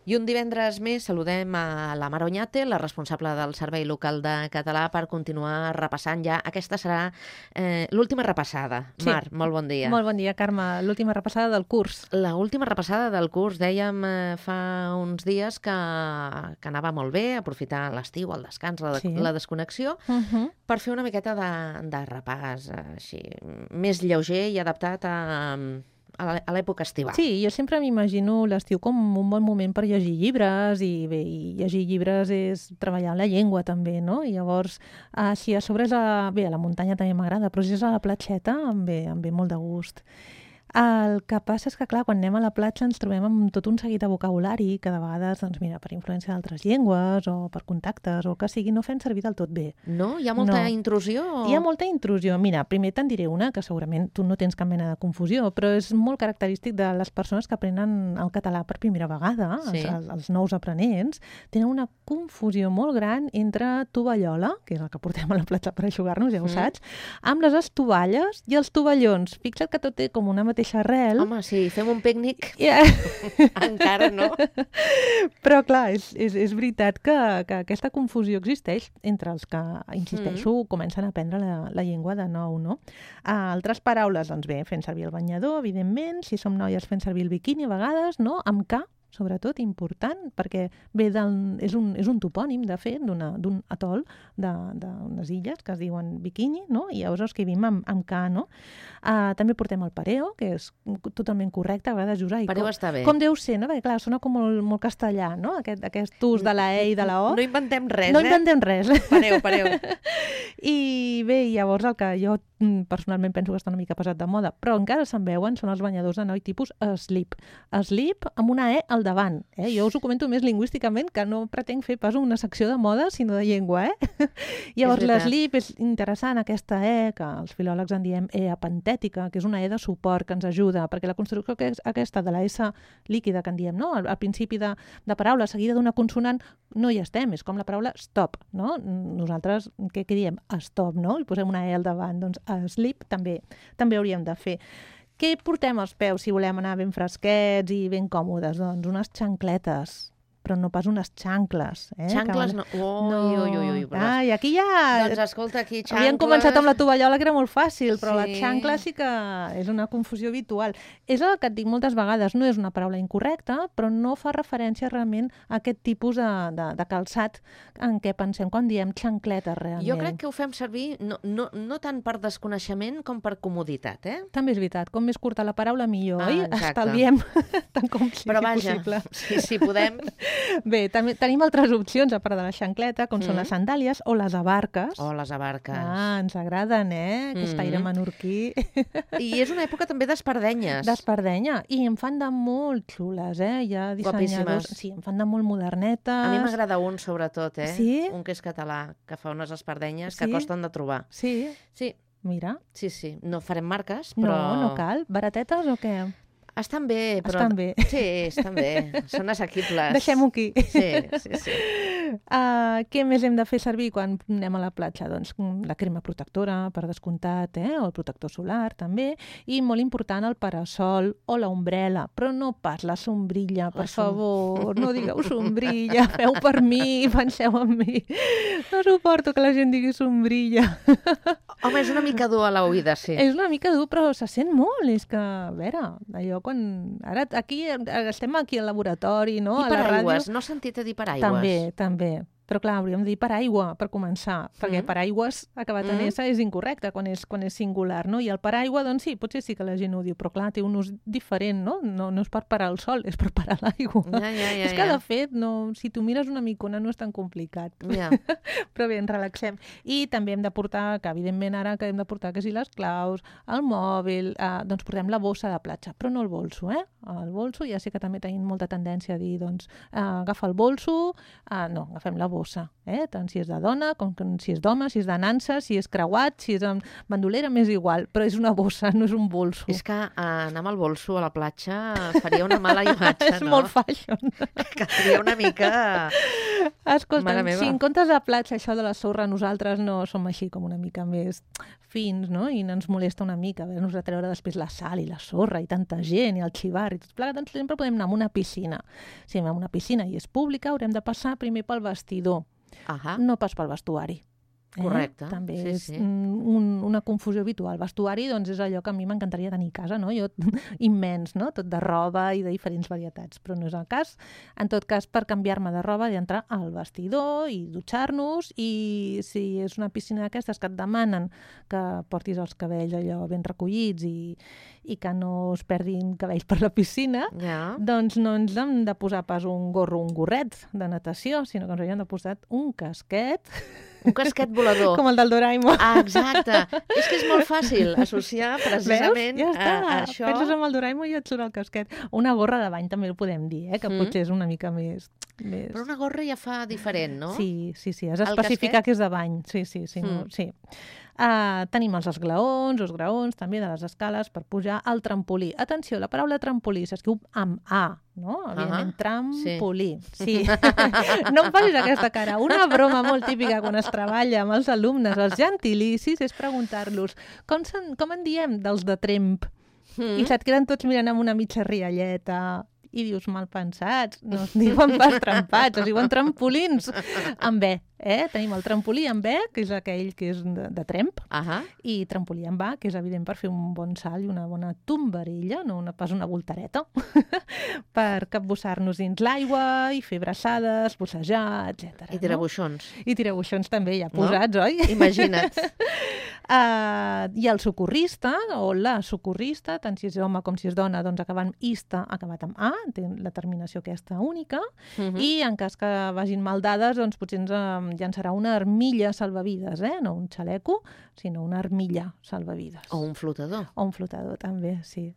I un divendres més saludem a la Mar Oñate, la responsable del Servei Local de Català, per continuar repassant ja. Aquesta serà l'última repassada. Sí. Mar, molt bon dia. Molt bon dia, Carme. L'última repassada del curs. L'última repassada del curs. Dèiem fa uns dies que anava molt bé, aprofitar l'estiu, el descans, la desconnexió, per fer una miqueta de repàs així, més lleuger i adaptat a l'època estival. Sí, jo sempre m'imagino l'estiu com un bon moment per llegir llibres i bé, llegir llibres és treballar la llengua també, no? I llavors, si a sobre és a la muntanya també m'agrada, però si és a la platgeta em ve molt de gust. El que passa és que, clar, quan anem a la platja ens trobem amb tot un seguit de vocabulari que de vegades, doncs mira, per influència d'altres llengües o per contactes o el que sigui, no fem servir del tot bé. No? Hi ha molta intrusió? Hi ha molta intrusió. Mira, primer te'n diré una, que segurament tu no tens cap mena de confusió, però és molt característic de les persones que aprenen el català per primera vegada, sí. els nous aprenents, tenen una confusió molt gran entre tovallola, que és el que portem a la platja per eixugar-nos, ja ho saps, amb les estovalles i els tovallons. Fixa't que tot té com una mateixa arrel. Home, sí, fem un pícnic. Encara no. Però, clar, és veritat que aquesta confusió existeix entre els que, insisteixo, comencen a aprendre la llengua de nou, no? Altres paraules, doncs bé, fent servir el banyador, evidentment, si som noies fent servir el biquini a vegades, no? Amb K, sobretot, important, perquè és un topònim, de fet, d'un atol d'unes illes que es diuen Bikini, no? I llavors escrivim amb K, no? També portem el pareo, que és totalment correcte, a vegades usar. Pareo està bé. Com deu ser, no? Perquè, clar, sona com molt castellà, no? Aquest ús de la E i de la O. No inventem res, No inventem res. Pareo. I bé, llavors el que jo personalment penso que està una mica passat de moda, però encara se'n veuen, són els banyadors de noi tipus slip. Slip amb una E al davant. Jo us ho comento més lingüísticament, que no pretenc fer pas una secció de moda, sinó de llengua. Llavors l'slip és interessant, aquesta E, que els filòlegs en diem E apentètica, que és una E de suport que ens ajuda, perquè la construcció aquesta de la S líquida que en diem, no? Al principi de paraula seguida d'una consonant no hi estem, és com la paraula stop, no? Nosaltres, què diem? Stop, no? I posem una E al davant, doncs slip també hauríem de fer. Què portem als peus si volem anar ben fresquets i ben còmodes? Doncs unes xancletes, però no pas unes xancles. Xancles no. Ui. Ai, aquí ja... Doncs escolta, aquí xancles... Havíem començat amb la tovallola, que era molt fàcil, però la xancla sí que és una confusió habitual. És el que et dic moltes vegades, no és una paraula incorrecta, però no fa referència realment a aquest tipus de calçat en què pensem quan diem xancletes, realment. Jo crec que ho fem servir no tant per desconeixement com per comoditat, També és veritat, com més curta la paraula millor, oi? Estalviem tant com sigui però vaja, possible. Si podem... Bé, també tenim altres opcions, a part de la xancleta, com són les sandàlies o les abarques. Les abarques. Ens agraden, aquest aire menorquí. I és una època també d'espardenyes. D'espardenya. I en fan de molt xules, Hi ha dissenyadors... Guapíssimes. Sí, en fan de molt modernetes. A mi m'agrada un, sobretot, Sí? Un que és català, que fa unes espardenyes que costen de trobar. Sí? Sí. Mira. Sí. No farem marques, però... No cal. Baratetes o què? Estan bé, però... Estan bé. Sí, estan bé. Són assequibles. Deixem-ho aquí. Sí. Què més hem de fer servir quan anem a la platja? Doncs la crema protectora, per descomptat, o el protector solar, també. I molt important, el parasol o l'ombrella, però no pas la sombrilla, per favor. No digueu sombrilla, feu per mi, penseu en mi. No suporto que la gent digui sombrilla. Home, és una mica dur a l'oïda, sí. És una mica dur, però se sent molt. És que, a veure, allò quan... Ara estem aquí al laboratori, no? I paraigües, no has sentit a dir paraigües? També. Però clar, hauríem de dir paraigua per començar, perquè paraigües acabat en S és incorrecte quan és singular, no? I el paraigua, doncs sí, potser sí que la gent ho diu, però clar, té un ús diferent, no? No és per parar el sol, és per parar l'aigua. És que, de fet, si tu mires una micona no és tan complicat. Però bé, ens relaxem. I també hem de portar, que evidentment ara que hem de portar que si les claus, el mòbil, doncs portem la bossa de platja, però no el bolso, El bolso, ja sé que també tenim molta tendència a dir, doncs, agafa el bolso, no, agafem la bossa, bossa, tant si és de dona, com si és d'home, si és de nansa, si és creuat, si és amb bandolera, m'és igual, però és una bossa, no és un bolso. És que anar amb el bolso a la platja faria una mala imatge, És molt fashion. Caldria una mica... Escolta, si en comptes de platja això de la sorra, nosaltres no som així com una mica més fins, no? I ens molesta una mica haver-nos de treure després la sal i la sorra i tanta gent i el xivar i tot plegat, doncs sempre podem anar a una piscina. Si anem a una piscina i és pública, haurem de passar primer pel vestidor, no pas pel vestuari. Correcte. També és una confusió habitual. Vestuari, doncs, és allò que a mi m'encantaria tenir a casa, no? Jo, immens, no? Tot de roba i de diferents varietats, però no és el cas. En tot cas, per canviar-me de roba, he d'entrar al vestidor i dutxar-nos, i si és una piscina d'aquestes que et demanen que portis els cabells allò ben recollits i que no es perdin cabells per la piscina, doncs no ens hem de posar pas un gorro, un gorret de natació, sinó que ens hauríem de posar un casquet. Un casquet volador. Com el del Doraemon. Exacte. És que és molt fàcil associar precisament a això. Penses en el Doraemon i et surt el casquet. Una gorra de bany també ho podem dir, que potser és una mica més... Però una gorra ja fa diferent, no? Sí. Has d'especificar que és de bany. Sí. Tenim els esglaons, els graons, també de les escales per pujar al trampolí. Atenció, la paraula trampolí s'escriu amb A, no? Evidentment, trampolí. Sí. No em facis aquesta cara. Una broma molt típica quan es treballa amb els alumnes, els gentilicis, és preguntar-los com en diem dels de tremp? I se't queden tots mirant amb una mitja rialleta i dius, mal pensats, no es diuen pas trempats, es diuen trampolins amb E. Tenim el trampolí amb E, que és aquell que és de tremp, i trampolí amb A, que és evident per fer un bon salt i una bona tombarella, no pas una voltareta, per capbussar-nos dins l'aigua i fer braçades, bussejar, etc. I tirabuixons. I tirabuixons també, ja posats, oi? Imagina't. I el socorrista, o la socorrista, tant si és home com si és dona, doncs acabant ista, acabat amb A, té la terminació aquesta única, i en cas que vagin mal dades, doncs potser ens llançarà una armilla salvavides, no un xaleco, sinó una armilla salvavides. O un flotador. O un flotador, també, sí.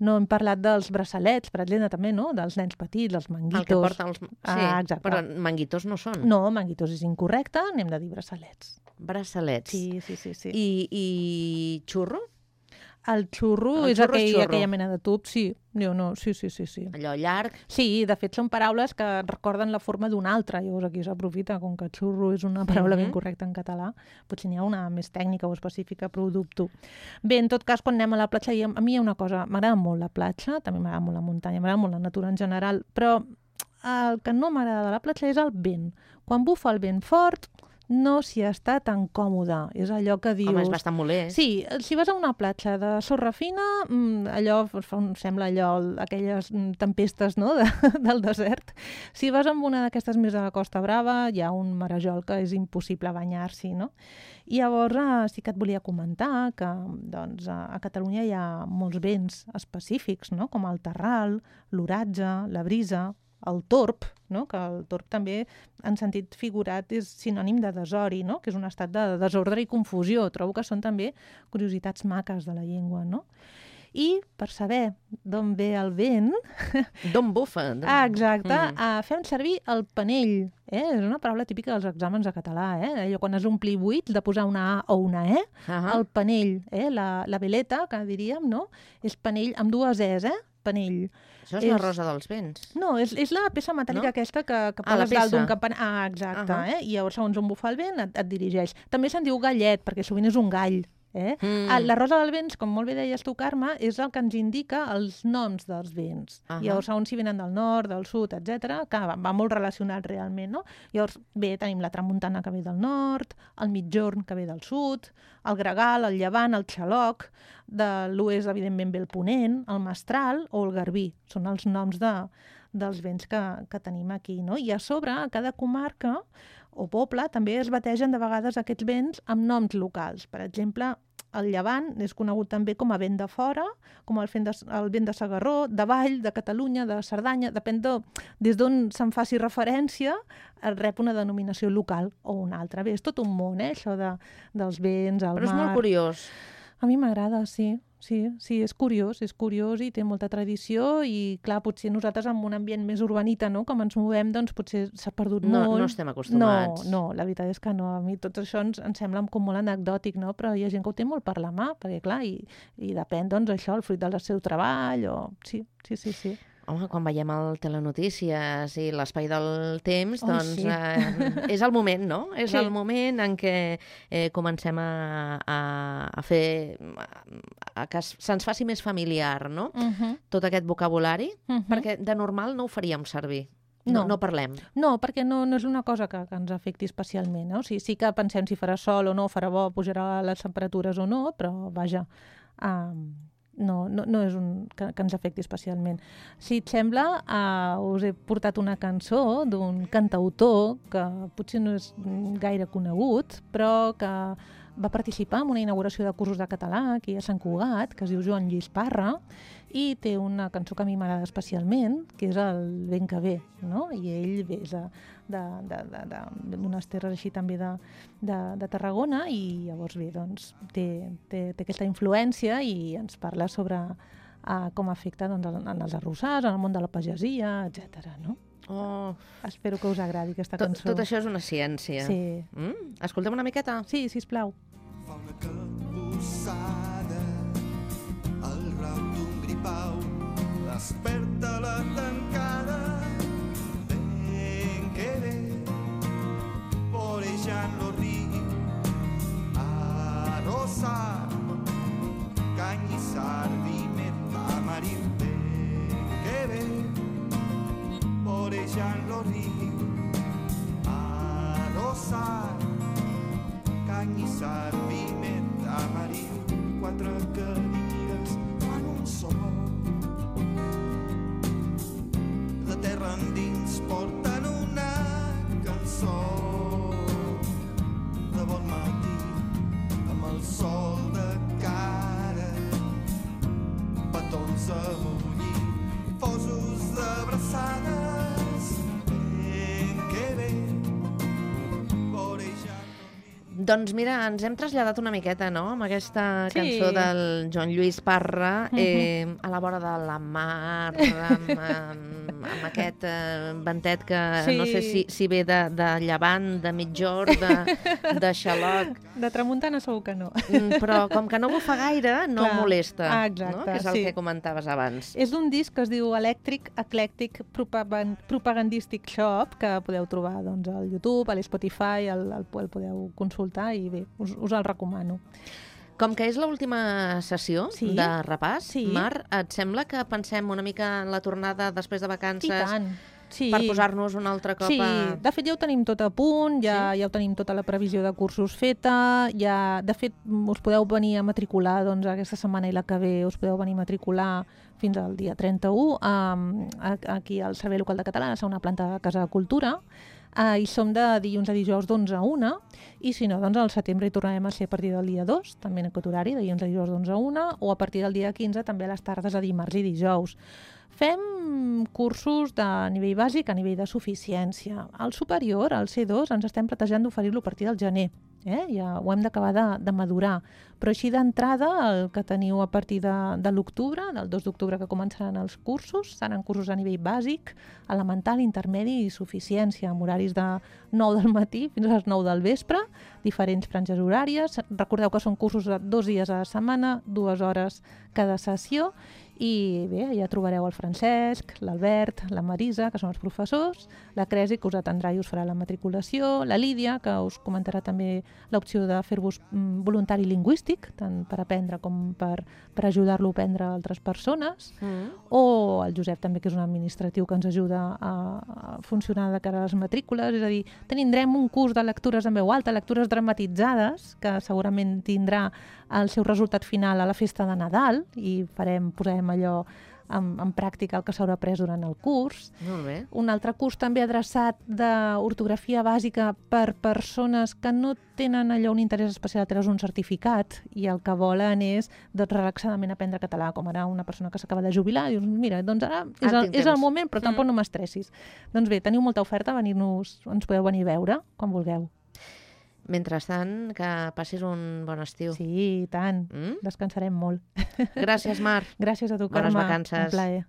No hem parlat dels braçalets, per exemple, també, no? Dels nens petits, els manguitos. El que porten els... Sí, exacte. Però manguitos no són. No, manguitos és incorrecte, n'hem de dir braçalets. Braçalets. Sí. I xurro? El xurro és aquella mena de tub, sí. Sí. Allò llarg. Sí, de fet són paraules que recorden la forma d'una altra, llavors aquí s'aprofita, com que xurro és una paraula ben correcta en català, potser n'hi ha una més tècnica o específica, però ho dubto. Bé, en tot cas, quan anem a la platja, a mi hi ha una cosa, m'agrada molt la platja, també m'agrada molt la muntanya, m'agrada molt la natura en general, però el que no m'agrada de la platja és el vent. Quan bufa el vent fort, no s'hi està tan còmode. És allò que dius... Home, és bastant molest. Sí, si vas a una platja de sorra fina, allò sembla aquelles tempestes, no?, del desert. Si vas amb una d'aquestes més a la Costa Brava, hi ha un marejol que és impossible banyar-s'hi, no? I llavors sí que et volia comentar que doncs, a Catalunya hi ha molts vents específics, no?, com el terral, l'oratge, la brisa, el torb, no? Que el torb també, en sentit figurat, és sinònim de desori, no? Que és un estat de desordre i confusió. Trobo que són també curiositats maques de la llengua, no? I per saber d'on ve el vent... D'on bufa. Exacte. Fem servir el panell. És una paraula típica dels exàmens de català. Allò quan has omplir buits de posar una A o una E. El panell, la veleta, que diríem, no? És panell amb dues Es, panell. Això és la rosa dels vents. No, és la peça metàl·lica aquesta que poses dalt d'un campanar. Exacte. I llavors, segons on bufa el vent, et dirigeix. També se'n diu gallet, perquè sovint és un gall. La rosa dels vents, com molt bé deies tu, Carme, és el que ens indica els noms dels vents. Llavors, segons si venen del nord, del sud, etc., que va molt relacionat realment, no? Llavors, bé, tenim la tramuntana que ve del nord, el mitjorn que ve del sud, el gregal, el llevant, el xaloc, de l'oest, evidentment, ve el ponent, el mestral o el garbí. Són els noms dels vents que tenim aquí, no? I a sobre, a cada comarca o poble, també es bategen de vegades aquests vents amb noms locals. Per exemple, el llevant és conegut també com a vent de fora, com el vent de Segarró, de Vall, de Catalunya, de Cerdanya, depèn des d'on se'n faci referència, rep una denominació local o una altra. Bé, és tot un món, això dels vents, el mar... Però és molt curiós. A mi m'agrada, sí. Sí, és curiós i té molta tradició i, clar, potser nosaltres en un ambient més urbanita, no?, com ens movem, doncs potser s'ha perdut molt. No estem acostumats. No, la veritat és que no. A mi tot això ens sembla com molt anecdòtic, no?, però hi ha gent que ho té molt per la mà, perquè, clar, i depèn, doncs, això, el fruit del seu treball, o... Sí. Home, quan veiem el Telenotícies i l'Espai del Temps, doncs sí. És el moment, no? És Sí. el moment en què comencem a fer... que se'ns faci més familiar, no? Tot aquest vocabulari, perquè de normal no ho faríem servir. No parlem. No, perquè no és una cosa que ens afecti especialment, no? O sigui, sí que pensem si farà sol o no, farà bo, pujarà les temperatures o no, però, vaja... No és que ens afecti especialment. Si et sembla, us he portat una cançó d'un cantautor que potser no és gaire conegut, però que va participar en una inauguració de cursos de català aquí a Sant Cugat, que es diu Joan Lluís Parra, i té una cançó que a mi m'agrada especialment, que és el Vent que ve, no? I ell ve d'unes terres així també de Tarragona, i llavors bé, doncs, té aquesta influència i ens parla sobre com afecta doncs, en els arrossars, en el món de la pagesia, etc. No? Oh. Espero que us agradi aquesta cançó. Tot això és una ciència. Sí. Escoltem una miqueta? Sí, sisplau. Fa una capbussada al rau d'un gripau, desperta la tancada, ben que ve, vorejant lo riu, arrossar, canyissar, vimet, tamariu, ben que ve, vorejant lo riu, arrossar, canyissar, vimet, tamariu, quatre cadires fan un sol. De terra endins porten una cançó de bon matí amb el sol de cara, petons a bullir, fosos d'abraçades, ben que bé, vorejant. Doncs mira, ens hem traslladat una miqueta, no?, amb aquesta cançó del Joan Lluís Parra, a la vora de la mar, amb aquest ventet que no sé si ve de llevant, de mitjor, de xaloc. De tramuntana segur que no. Però com que no bufa gaire, no molesta. Exacte, no? Que és el que comentaves abans. És d'un disc que es diu Eclectic Propagandistic Shop, que podeu trobar doncs, al YouTube, a l'Spotify, el podeu consultar i bé, us el recomano. Com que és l'última sessió de repàs, Mar, et sembla que pensem una mica en la tornada després de vacances? I tant. Per posar-nos un altre cop a... Sí, de fet ja ho tenim tot a punt, ja ho tenim tota la previsió de cursos feta, de fet us podeu venir a matricular doncs, aquesta setmana i la que ve, us podeu venir a matricular fins al dia 31 aquí al Servei Local de Català, a la segona planta de Casa de Cultura, i som de dilluns a dijous d'11 a 1, i si no, doncs al setembre hi tornarem a ser a partir del dia 2, també en aquest horari, de dilluns a dijous d'11 a 1, o a partir del dia 15 també a les tardes a dimarts i dijous. Fem cursos de nivell bàsic a nivell de suficiència. Al superior, al C2, ens estem plantejant d'oferir-lo a partir del gener. Ja ho hem d'acabar de madurar. Però així d'entrada, el que teniu a partir de l'octubre, del 2 d'octubre que començaran els cursos, seran cursos a nivell bàsic, elemental, intermedi i suficiència, amb horaris de 9 del matí fins a les 9 del vespre, diferents franges horàries. Recordeu que són cursos de 2 dies a la setmana, 2 hores cada sessió, i bé, ja trobareu el Francesc, l'Albert, la Marisa, que són els professors, la Cresi, que us atendrà i us farà la matriculació, la Lídia, que us comentarà també l'opció de fer-vos voluntari lingüístic, tant per aprendre com per ajudar-lo a aprendre a altres persones, o el Josep també, que és un administratiu que ens ajuda a funcionar de cara a les matrícules, és a dir, tindrem un curs de lectures en veu alta, lectures dramatitzades, que segurament tindrà el seu resultat final a la festa de Nadal, i posarem allò en pràctica el que s'haurà après durant el curs. Molt bé. Un altre curs també adreçat d'ortografia bàsica per persones que no tenen allò un interès especial a treure's un certificat i el que volen és relaxadament aprendre català, com ara una persona que s'acaba de jubilar i dius, mira, doncs ara és el moment, però tampoc no m'estressis. Doncs bé, teniu molta oferta, ens podeu venir a veure quan vulgueu. Mentrestant, que passis un bon estiu. Sí, i tant. Descansarem molt. Gràcies, Mar. Gràcies a tu, Bones Carme. vacances. Un plaer.